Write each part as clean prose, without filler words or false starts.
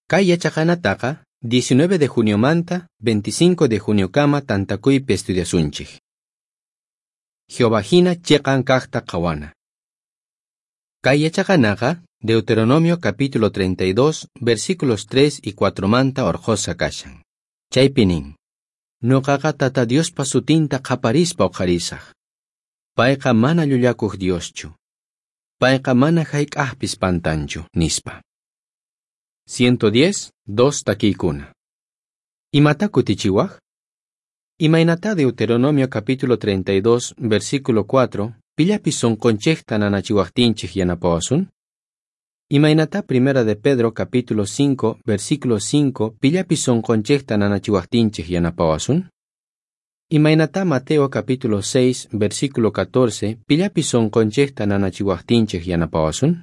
Kay yachaqanataqa 19 de juniomanta 25 de juniokama tantakuypi estudiasunchik. Jehová hina chiqan kaqta qhawana. Kay yachaqanaqa Deuteronomio capítulo 32 versículos 3 y 4 manta orqhusqa kashan. Chaypi nin: Nuqaqa Tata Diospa sutinta qhaparispa uqharisaq. Payqa mana llullakuq Dioschu. Payqa mana hayk'aqpis pantanchu, nispa. 110, 2 takiykuna. Imata kutichiwaq? Imaynata Deuteronomio capítulo 32, versículo 4, pillapis sunqunchikta nanachiwaqtinchik yanapawasun? Imaynata Primera de Pedro capítulo 5, versículo 5, pillapis sunqunchikta nanachiwaqtinchik yanapawasun? Imaynata Mateo capítulo 6, versículo 14, pillapis sunqunchikta nanachiwaqtinchik yanapawasun?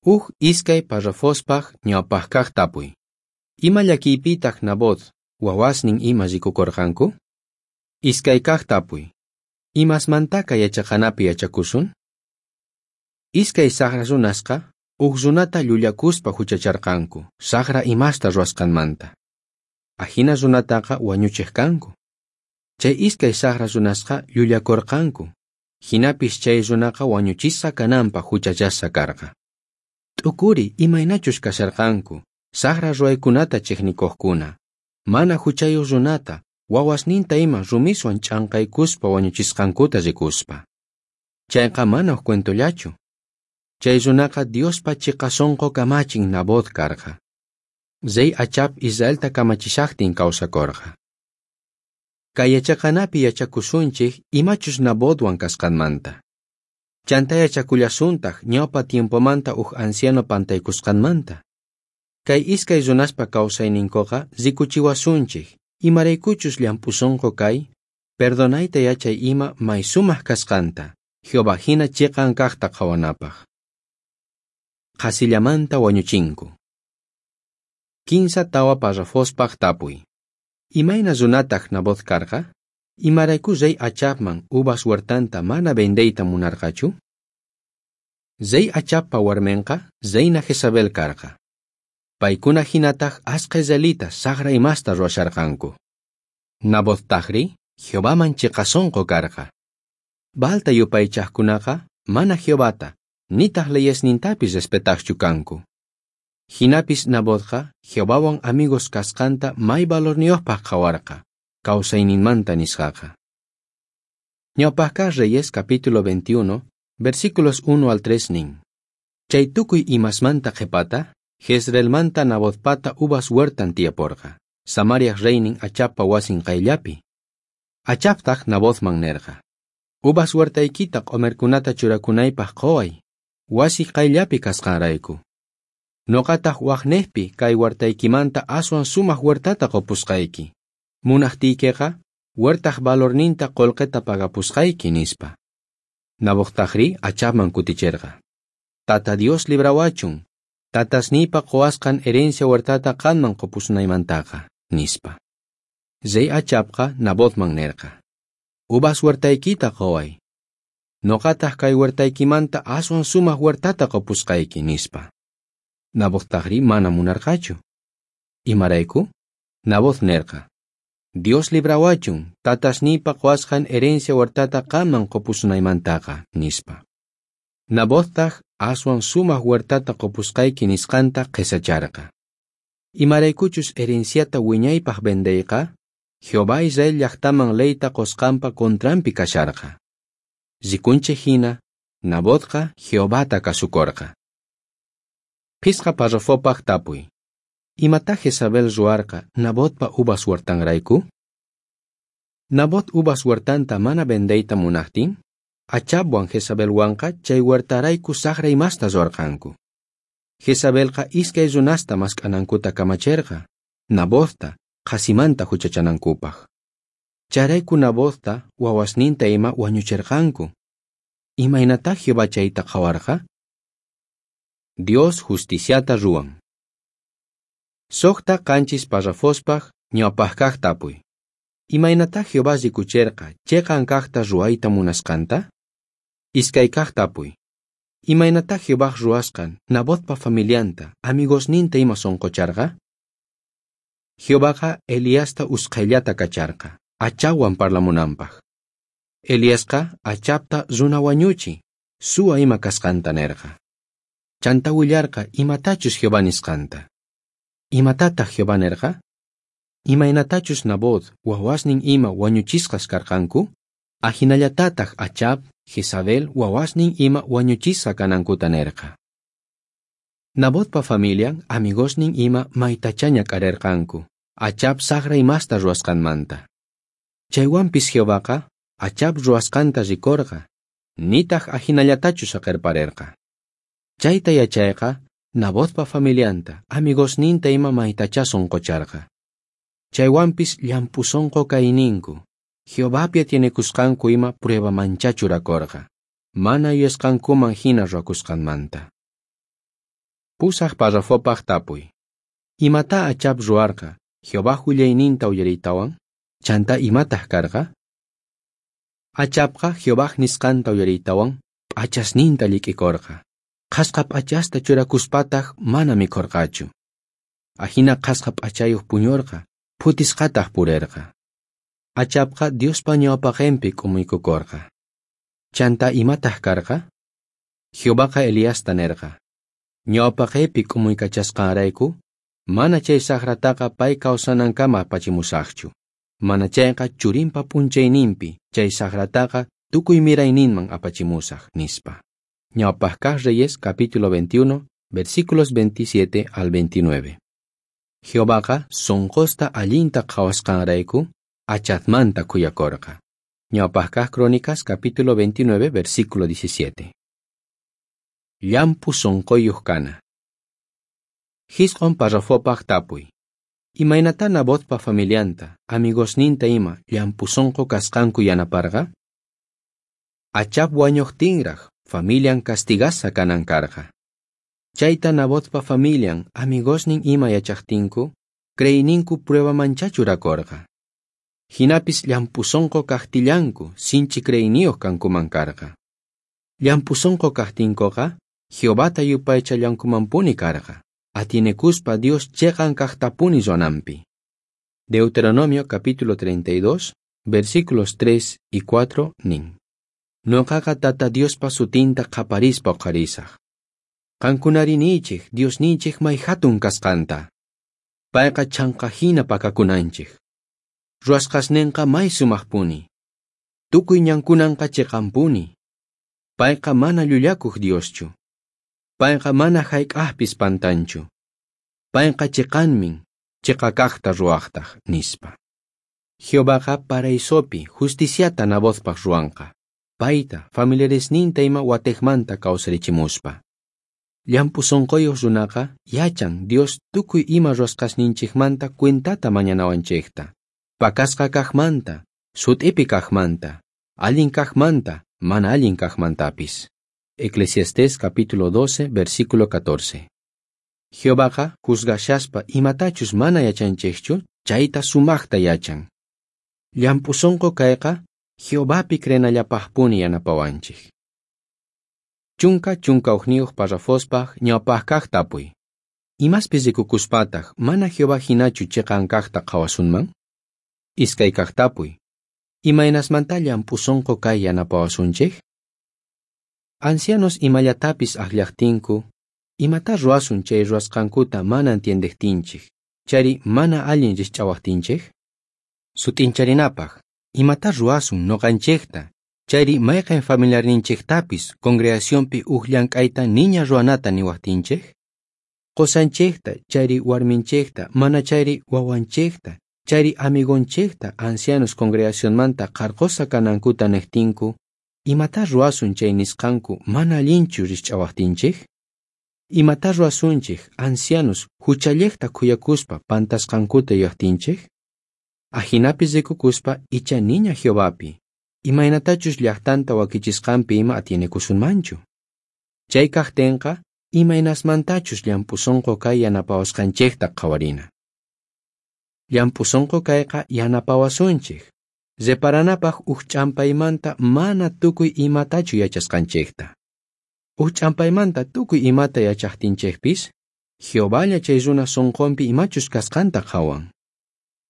Uj iskay parrafospaj ñawpajkaj tapuy. Ima llakiypitaq Nabot, wawasnin ima rikukurqanku? Iskaykaj tapuy. Imasmantaka yachaqanapi yachakusun? Iskay saqra runasqa uj runata llullakuspa huchacharqanku, saqra imasta ruwasqanmanta. Ajina runataqa wañuchiq kanku. Chay iskay saqra runasqa llullakurqanku, hinapis chay runaqa wañuchisqa kananpaq huchachasqa karqa. T'ukuri imaynachus kasharqanku, saqra ruwaykunata chiqnikuqkuna, mana huchayuq runata, wawasninta ima rumiswan ch'anqaykuspa wañuchisqankuta rikuspa. Chayqa mana uj cuentollachu. Chay runaqa Diospa chiqa sunqu kamachin Nabot karqa. Rey Achab Israelta kamachishaqtin kawsakurqa. Kay yachaqanapi yachakusunchik imachus Nabotwan kasqanmanta. Chanta yachakullasuntaq ñawpa tiempomanta uj anciano pantaykusqanmanta. Kay iskay runaspa kawsayninkuqa rikuchiwasunchik imaraykuchus llamp'u sunqu kay, perdonayta yachay ima may sumaq kasqanta, Jehová hina chiqan kaqta qhawanapaq. Qhasillamanta wañuchinku. 15 parrafospaq tapuy. Imayna runataq Nabot karqa? Imarayku rey Achabman uvas huertanta mana vendeyta munarqachu? Rey Achabpa warminqa reina Jezabel karqa. Paykuna hinataq asqa israelitas saqra imasta ruwasharqanku. Nabot-tajri Jehovaman chiqa sunqu karqa. Baalta yupaychaqkunaqa mana Jehovata nitaq leyesnintapis respetaqchu kanku. Hinapis Nabotqa Jehovawan amigos kasqanta may valorniyuqpaq qhawarqa, kawsayninmanta nisqaqa. Ñawpaqkaq Reyes capítulo 21, versículos 1 al 3 nin. Chay tukuy imasmanta qhipata, Jezreelmanta Nabotpata uvas huertan tiyaporqa, Samariaj reynin Achabpa wasin qayllapi. Achabtaq Nabotman nerqa: Uvas huertaykita q'omerkunata churakunaypaq quway, wasi qayllapi kasqanrayku. Nuqataq waqnejpi kay huertaykimanta aswan sumaq huertata qupusqayki. Munaqtiykiqa huertaq valorninta qullqita pagapusqayki, nispa. Nabottajri Achabman kuticherqa: Tata Dios librawachun, tatasniypa quwasqan herencia huertata qanman qupusunaymantaqa, nispa. Rey Achabqa Nabotman nerqa: Uvas huertaykita quway. Nuqataq kay huertaykimanta aswan sumaq huertata qupusqayki, nispa. Nabottajri mana munarqachu. Imarayku? Nabot nerqa: Dios librawachun, tatasniypa quwasqan herencia huertata qanman qupusunaymantaqa, nispa. Nabottaj aswan sumaq huertata qupusqayki nisqanta qhisacharqa. Imaraykuchus herenciata wiñaypaq vendeyqa, Jehová Israel llaqtaman leyta qusqanpa contranpi kasharqa. Rikunchik hina, Nabotqa Jehovata kasukurqa. Phisqa parrafopaq tapuy. Imata Jezabel ruwarqa Nabotpa uvas huertanrayku? Nabot uvas huertanta mana vendeyta munaqtin, Achabwan Jezabelwanqa chay huertarayku saqra imasta ruwarqanku. Jezabelqa iskay runasta mask'anankuta kamacherqa, Nabotta qhasimanta huchachanankupaq. Chayrayku Nabotta wawasninta ima wañucherqanku. Imaynatá Jehová chayta qhawarqa? Dios justiciata ruwan. 6 7 parrafospaq ñawpaqkaq tapuy. Imaynatá Jehová rikucherqa chiqan kaqta ruwayta munasqanta? Iskaykaq tapuy. Imaynatá Jehovaj ruwasqan Nabotpa familianta, amigosninta ima sonqocharqa? Jehovaqa Eliasta usqhayllata kacharqa, Achabwan parlamunanpaj. Eliasqa Achabta runa wañuchi, suwa ima kasqanta nerqa. Chantá willarqa imatachus Jehová nisqanta. Imatataj Jehová nerqa? Imaynatachus Nabot, wawasnin ima wañuchisqas karqanku, ajinallatataj Achab, Jezabel, wawasnin ima wañuchisqa kanankuta nerqa. Nabotpa familian, amigosnin ima maytachá ñak'arerqanku, Achab sajra imasta ruwasqanmanta. Chaywanpis Jehovaqa Achab ruwasqanta rikorqa, nitaj ajinallatachu saqerparerqa. Chayta yachayqa Nabotpa familianta, amigosninta ima maytachá sonqocharqa. Chaywanpis llamp'u sonqo kayninku, Jehovapi atienekusqanku ima pruebamanchá churakorqa, mana yuyasqankuman jina ruwakusqanmanta. Pusaj parrafopaj tapuy. Imatá Achab ruwarqa Jehovaj willayninta uyariytawan? Chantá imataj karqa? Achabqa Jehovaj nisqanta uyariytawan p'achasninta llik'ikorqa. Qhasqa p'achasta churakuspataj mana mikhorqachu. Ajina qhasqa p'achayoj puñorqa, phutisqataj purerqa. Achabqa Diospa ñawpaqenpi k'umuykukorqa. Chantá imataj karqa? Jehovaqa Eliasta nerqa: Ñawpaqeypi k'umuykachasqanrayku, mana chay sajrataqa pay kawsanankama apachimusajchu. Mana chayqa churinpa p'unchayninpi chay sajrataqa tukuy mirayninman apachimusaj, nispa. Ñawpaj kaj Reyes capítulo 21, versículos 27 al 29. Jehovaqa sonqosta allinta qhawasqanrayku Achabmanta khuyakorqa. Ñawpaj kaj Crónicas capítulo 29, versículo 17. Llamp'u sonqoyuq kana. Jisq'on parrafopaj tapuy. Imaynatá Nabotpa familianta, amigosninta ima llamp'u sonqo kasqanku yanaparqa? Achab wañojtinraj familian castigasqa kanan karqa. Chayta Nabotpa familian, amigosnin ima yachajtinku, creeyninku pruebamanchá churakorqa. Jinapis llamp'u sonqo kajtillanku sinchi creeyniyoj kankuman karqa. Llamp'u sonqo kajtinkoqa Jehovata yupaychallankumanpuni karqa, atienekuspa Dios cheqan kajtapuni ruwananpi. Deuteronomio capítulo 32, versículos 3 y 4 nin. Noqaqa Tata Diospa sutinta qhaparispa uqharisaj. Qankunari niychej Diosninchej may jatun kasqanta. Payqa chhanka jina pakakunanchej. Ruwasqasnenqa may sumajpuni. Tukuy ñankunanqa cheqanpuni. Payqa mana llullakuj Dioschu. Payqa mana jayk'ajpis pantanchu. Payqa cheqanmin, cheqa kajta ruwajtaj, nispa. Jehovaqa paraisopi justiciata Nabotpaj ruwanqa. Payta, familiaresninta ima watejmanta kawsarichimuspa. Llamp'u sonqoyoj runaqa yachan Dios tukuy ima ruwasqasninchejmanta cuentata mañanawanchejta. Pakasqa kajmanta, sut'ipi kajmanta, allin kajmanta, mana allin kajmantapis. Eclesiastés capítulo 12, versículo 14. Jehovaqa juzgashaspa imatachus mana yachanchejchu, chayta sumajta yachan. Llamp'u sonqo kayqa Jehovapi creenallapajpuni yanapawanchej. Chunka chunka ujniyuq parrafospaj ñawpaj kaj tapuy. Imaspis rikukuspataj mana Jehová jinachu cheqan kajta qhawasunman? Iskay kaj tapuy. Imaynasmantá llamp'u sonqo kay yanapawasunchej? Ancianos imallatapis ajllajtinku, imatá ruwasun chay ruwasqankuta mana entiendejtinchej, chayri mana allin rijch'awajtinchej? Sut'incharinapaj, imatá ruwasun noqanchejta, chayri mayqen familiarninchejtapis congregacionpi uj llank'ayta niña ruwanata niwajtinchej? Qosanchejta, chayri warminchejta, mana chayri wawanchejta, chayri amigonchejta ancianos congregacionmanta qharqosqa kanankuta nejtinku, imatá ruwasun chay nisqanku mana allinchu rijch'awajtinchej? Imatá ruwasunchej ancianos juchallejta khuyakuspa pantasqankuta yuyajtinchej? Ajinapis rikukuspa icha niña Jehovapi, imaynatachus llajtanta wakichisqanpi ima atienekusunmanchu. Chay kajtenqa imaynasmantachus llamp'u sonqo kay yanapawasqanchejta qhawarina. Llamp'u sonqo kayqa yanapawasunchej, reparanapaj uj ch'ampaymanta mana tukuy imatachu yachasqanchejta. Uj ch'ampaymanta tukuy imata yachajtinchejpis, Jehovalla chay runa sonqonpi imachus kasqanta qhawan.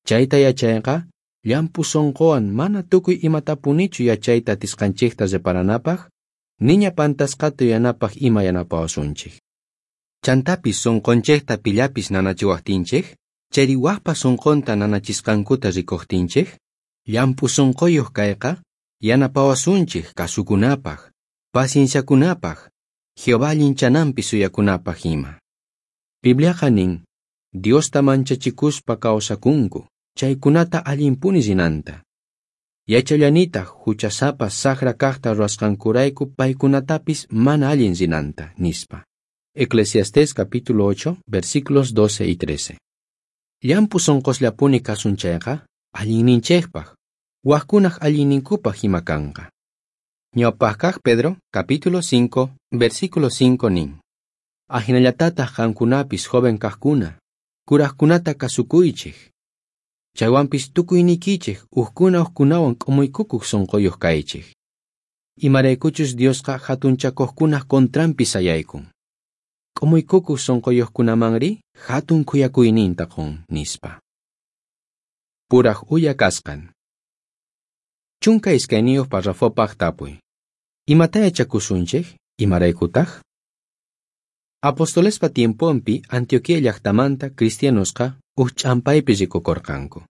Chayta yachayqa llamp'u sonqowan mana tukuy imatapunichu yachayta atisqanchejta reparanapaj, niña pantasqata yuyanapaj ima yanapawasunchej. Chantapis sonqonchejta pillapis nanachiwajtinchej, chayri wajpa sonqonta nanachisqankuta rikojtinchej, llamp'u sonqoyoj kayqa yanapawasunchej kasukunapaj, pacienciakunapaj, Jehová allinchananpi suyakunapaj ima. Bibliaqa nin, Diosta manchachikuspa kawsakunku, chaykunata allinpuni rinanta. Yachallanitaj huchasapa sajra kajta ruwasqankurayku paykunatapis mana allin rinanta, nispa. Eclesiastés capítulo 8, versículos 12 y 13. Llamp'u sonqosllapuni kasun chayqa, allinninchejpaj, wajkunaj allinninkupaj ima kanqa. Ñawpajkaj Pedro, capítulo 5, versículo 5 nin. Ajinallatataj qankunapis joven kajkuna, kurajkunata kasukuychej. Chaywanpis tukuyniykichej ujkuna ujkunawan k'umuykukuj sonqoyoj kaychej. Imaraykuchus Diosqa jatunchakojkunaj contranpi sayaykun. K'umuykukuj sonqoyojkunamanri jatun khuyakuyninta qon, nispa. Puraj uya kasqan. 12 parrafopaj tapuy. Imata yachakusunchej? Imaraykutaj? Apostolespa tiemponpi Antioquia llajtamanta cristianosqa uj ch'ampaypi rikukorqanku.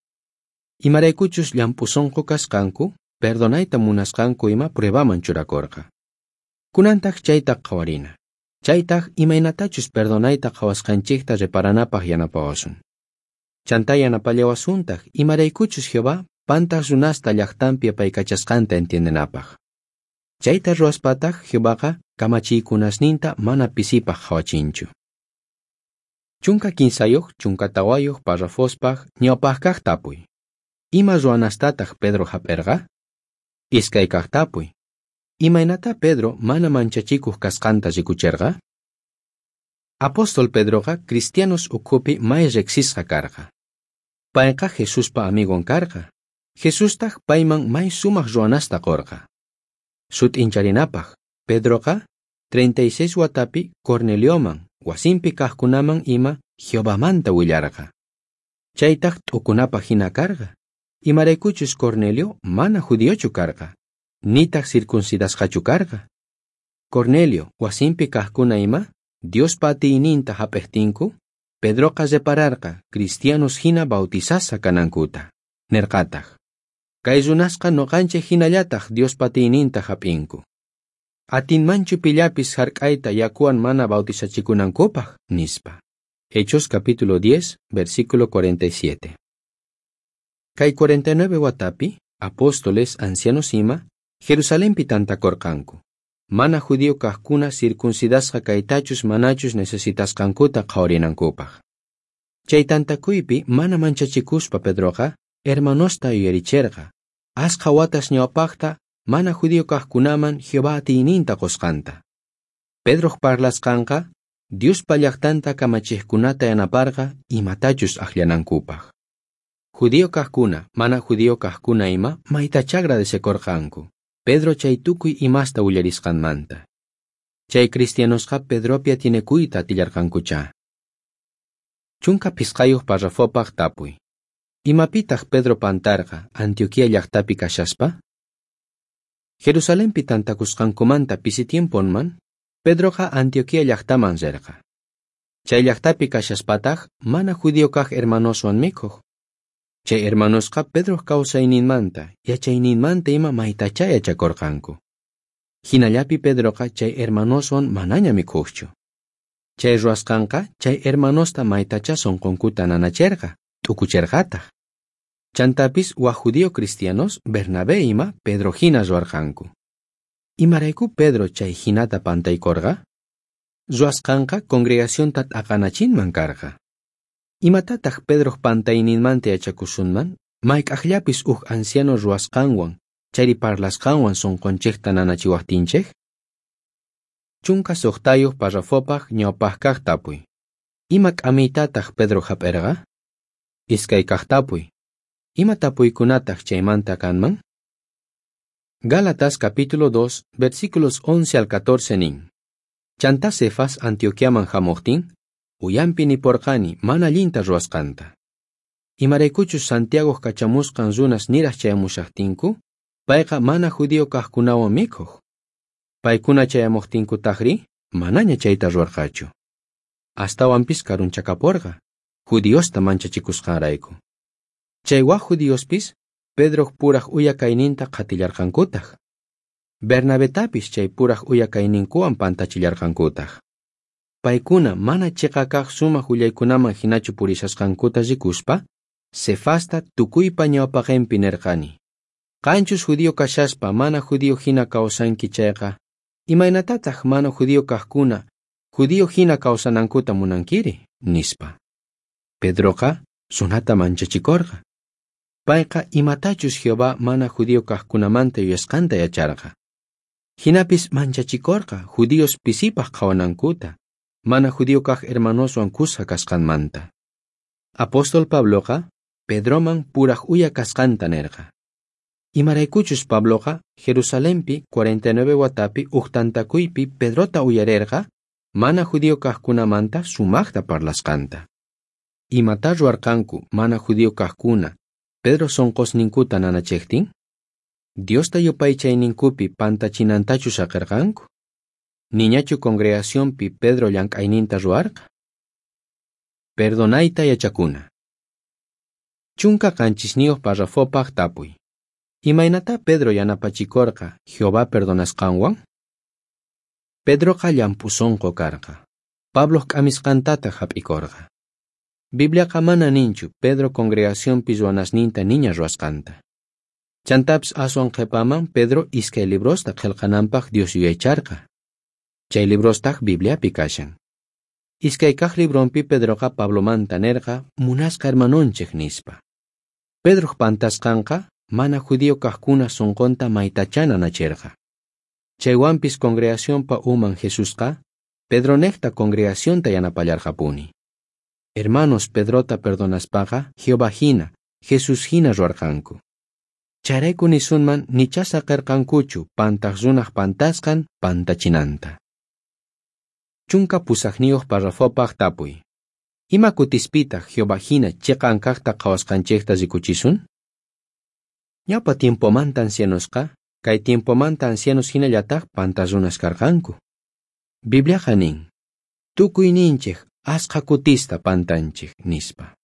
Imaraykuchus llamp'u sonqo kasqanku, perdonayta munasqanku ima pruebaman churakorqa. Kunantaj chayta qhawarina. Chaytaj imaynatachus perdonayta qhawasqanchejta reparanapaj yanapawasun. Chantá yanapallawasuntaq imaraykuchus Jehová pantaj runasta llajtanpi apaykachasqanta entiendenapaj. Chayta ruwaspataj Jehovaqa kamachiykunasninta mana pisipaj qhawachinchu. 13, 14 parrafospaj ñawpajkaj tapuy. Ima ruwanastataj Pedro jap'erqa? Iskaykaj tapuy. Imaynata Pedro mana manchachikuj kasqanta rikucherqa? Apóstol Pedroqa cristianos ukhupi may riqsisqa karqa. Payqa Jesuspa amigon karqa. Jesustaj payman may sumaj ruwanasta qorqa. Sut'incharinapaj, Pedroqa 36 watapi Cornelioman, wasinpi kajkunaman ima Jehovamanta willarqa. Chaytaj t'ukunapaj hina karqa. Imaraykuchus Cornelio mana judiochu karqa, nitaj circuncidasqachu karqa. Cornelio, wasinpi kajkuna ima, Diospa atiyninta jap'ejtinku, Pedroqa repararqa cristianos hina bautizasqa kanankuta. Nerqataj, kay runasqa noqanchej hinallataj Diospa atiyninta jap'inku. Atinmanchu pillapis jark'ayta yakuwan mana bautizachikunankupaj, nispa. Hechos capítulo 10, versículo 47. Kay 49 watapi, apóstoles, ancianos ima, Jerusalenpi tantakorqanku. Mana judío kajkuna circuncidasqa kaytachus manachus necesitasqankuta qhawarinankupaj. Chay tantakuypi mana manchachikuspa Pedroqa hermanosta yuyaricherqa, asqha watas ñawpajta mana judío kajkunaman Jehová atiyninta qosqanta. Pedroj parlasqanqa Diospa llajtanta kamachejkunata yanaparqa imatachus ajllanankupaj. Judío kajkuna, mana judío kajkuna ima maytachá agradecekorqanku Pedro chay tukuy imasta willarisqanmanta. Chay cristianosqa Pedropi atienekuyta atillarqankuchá. 15 parrafopaj tapuy. Imapitaj Pedro pantarqa Antioquia llajtapi kashaspa? Jerusalenpi tantakusqankumanta pisi tiemponman, Pedroqa Antioquia llajtaman rerqa. Chay llajtapi kashaspataj mana judío kaj hermanoswan mikhoj. Chay hermanosqa Pedroj kawsayninmanta, yachayninmanta ima maytachá yachakorqanku. Hinallapi Pedroqa chay hermanoswan manaña mikhojchu. Chay ruwasqanqa chay hermanosta maytachá sonqonkuta nanacherqa, t'ukucherqataj. Chantapis waj judío cristianos Bernabé ima Pedro hina ruwarqanku. Imarayku Pedro chay hinata pantaykorqa? Ruwasqanqa congregacionta t'aqanachinman karqa. Imatataj Pedroj pantayninmanta yachakusunman? Mayk'ajllapis uj anciano ruwasqanwan, chayri parlasqanwan sonqonchejta nanachiwajtinchej? 16 parrafopaj ñawpajkaj tapuy. Ima k'amiytataj Pedro jap'erqa? Iskaykaj tapuy. Ima tapuykunataj chaymanta kanman? Gálatas capítulo 2, versículos 11 al 14 nin. Chantá Cefas Antioquiaman jamojtin, uyanpi niporqani mana allinta ruwasqanta. Imaraykuchus Santiago kachamusqan runas niraj chayamushajtinku, payqa mana judío kajkunawan mikhoj. Paykuna chayamojtinkutajrí, manaña chayta ruwarqachu. Astawanpis karunchakaporqa, judiosta manchachikusqanrayku. Chay waj judiospis Pedroj puraj uya kayninta qhatillarqankutaj. Bernabetapis chay puraj uya kayninkuwan pantachillarqankutaj. Paykuna mana chiqa kaq sumaq willaykunaman hinachu purishasqankuta rikuspa, Cefasta tukuypa ñawpaqenpi nerqani. Qanchus judío kashaspa mana judío hina kawsanki chayqa, imaynatataq mana judío kaqkuna judío hina kawsanankuta munankiri, nispa. Pedroqa sunata manchachikorqa. Payqa imatachus Jehová mana judío kaqkunamanta yuyasqanta yacharqa. Hinapis manchachikorqa judíos pisipaq qhawanankuta, mana judío kaq hermanoswan kuska kasqanmanta. Apóstol Pabloqa Pedroman puraj uya kasqanta nerqa. Imaraykuchus Pabloqa Jerusalenpi 49 watapi uj tantakuypi Pedrota uyarerqa mana judío kaqkunamanta sumaqta parlasqanta. Imatá ruwarqanku mana judío kaqkuna Pedro sonqosninkuta nanachejtin? Diosta yupaychayninkupi pantachinantachu saqerqanku? Niñachu congregacionpi Pedro llank'ayninta ruwarqa? Perdonayta yachakuna. 17 parrafopaj tapuy. Imaynatá Pedro yanapachikorqa Jehová perdonasqanwan? Pedroqa llamp'u sonqo karqa. Pabloj k'amisqantataq hap'ikorqa. Bibliaqa mana ninchu Pedro congregacionpi ruwanasninta niña ruwasqanta. Chantapis aswan qhipaman Pedro iskay librosta qillqananpaq Dios yuyaycharqa. Chay librostaq Bibliapi kashan. Iskay kaq libronpi Pedroqa Pablomanta nerqa munasqa hermanonchej nispa. Pedroj pantasqanqa mana judío kaqkuna sonqonta maytachá nanacherqa. Chaywanpis congregacionpa uman Jesusqa Pedronejta congregacionta yanapallarqapuni. Hermanos Pedrota perdonaspaqa Jehová hina, Jesús hina ruwarqanku. Chayrayku nisunman nichá saqerqankuchu pantaq runaj pantasqan pantachinanta. 18 parrafopaj tapuy. Ima kutispitaq Jehová hina chiqan kaqta qhawasqanchejta rikuchisun? Ñawpa tiempomanta ancianosqa, kay tiempomanta ancianos hinallataq pantaq runas karqanku. Bibliaqa nin, tukuyninchej asqha kutista pantanchej nispa.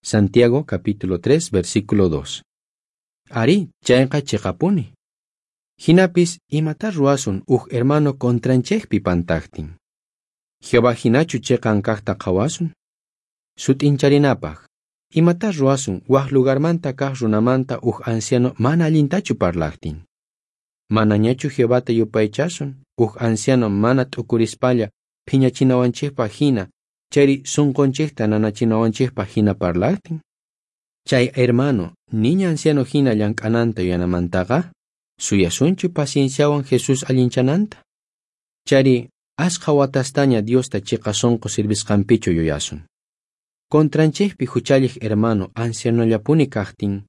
Santiago capítulo 3 versículo 2. Arí, chayqa chiqapuni. Hinapis imatá ruwasun uj hermano contranchejpi pantaqtin. Jehová hinachu chiqan kaqta qhawasun? Sut'incharinapaq, imatá ruwasun waj lugarmanta kaq runamanta uj anciano mana allintachu parlaqtin. Manañachu Jehovata yupaychasun uj anciano mana t'ukurispalla phiñachinawanchejpaq hina chayri sunqunchejta nanachinawanchejpaq hina parlaqtin. Chay hermano niña anciano hina llank'ananta yuyanamantaqa, suyasunchu pacienciawan Jesús allinchananta. Chayri asqha watastaña Diosta chiqa sonqo sirvisqanpichu yuyasun. Contranchejpi huchalliq hermano ancianollapuni kaqtin,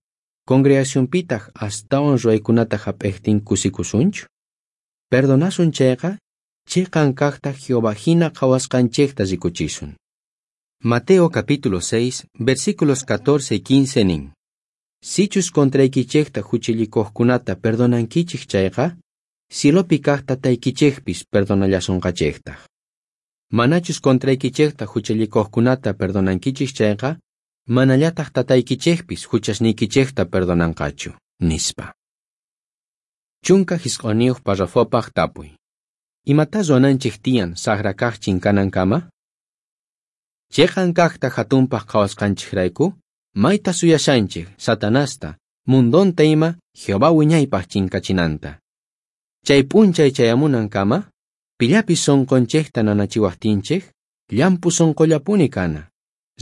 congregacionpitaq astawan ruwaykunata hap'ejtin kusikusunchu. Perdonasun chayqa, chiqan kaqta Jehová hina qhawasqanchejta rikuchisun. Mateo capítulo 6, versículos 14 y 15 nin. Sichus contraykichejta huchallikuqkunata perdonankichej chayqa, cielopi kaq tataykichejpis perdonallasonqachejtaj. Manachus contraykichejta huchallikuqkunata perdonankichej chayqa, manallataq tataykichejpis huchasniykichejta perdonanqachu, nispa. 19 parrafopaj tapuy. Imatá ruwananchej tiyan saqra kaq chinkanankama? Chiqan kaqta hatunpaq qhawasqanchejrayku, mayta suyashanchej Satanasta, mundonta ima Jehová wiñaypaq chinkachinanta. Chay p'unchay chayamunankama, pillapis sonqonchejta nanachiwajtinchej, llamp'u sonqollapuni kana.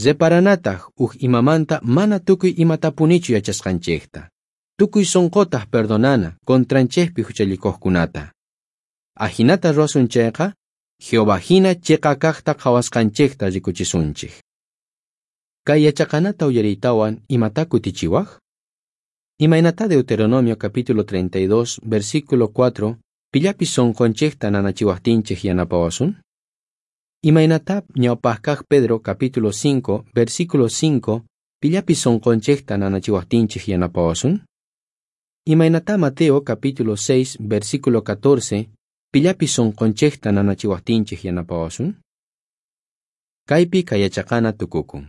Reparanataq uj imamanta mana tukuy imatapunichu yachasqanchejta. Tukuy sonqotaq perdonana contranchejpi huchallikuqkunata. Ajinata ruwasun chayqa, Jehová hina chiqa kaqta qhawasqanchejta rikuchisunchej. Kay yachaqanata uyariytawan imatá kutichiwaj? Imaynatá Deuteronomio capítulo 32, versículo 4, pillapis sonqonchejta nanachiwajtinchej yanapawasun? Imaynatá ñawpaj kaj Pedro capítulo 5, versículo 5, pillapis sonqonchejta nanachiwajtinchej yanapawasun? Imaynatá Mateo capítulo 6, versículo 14, pillapis sonqonchejta nanachiwajtinchej yanapawasun? Kaypi kay yachaqana tukukun.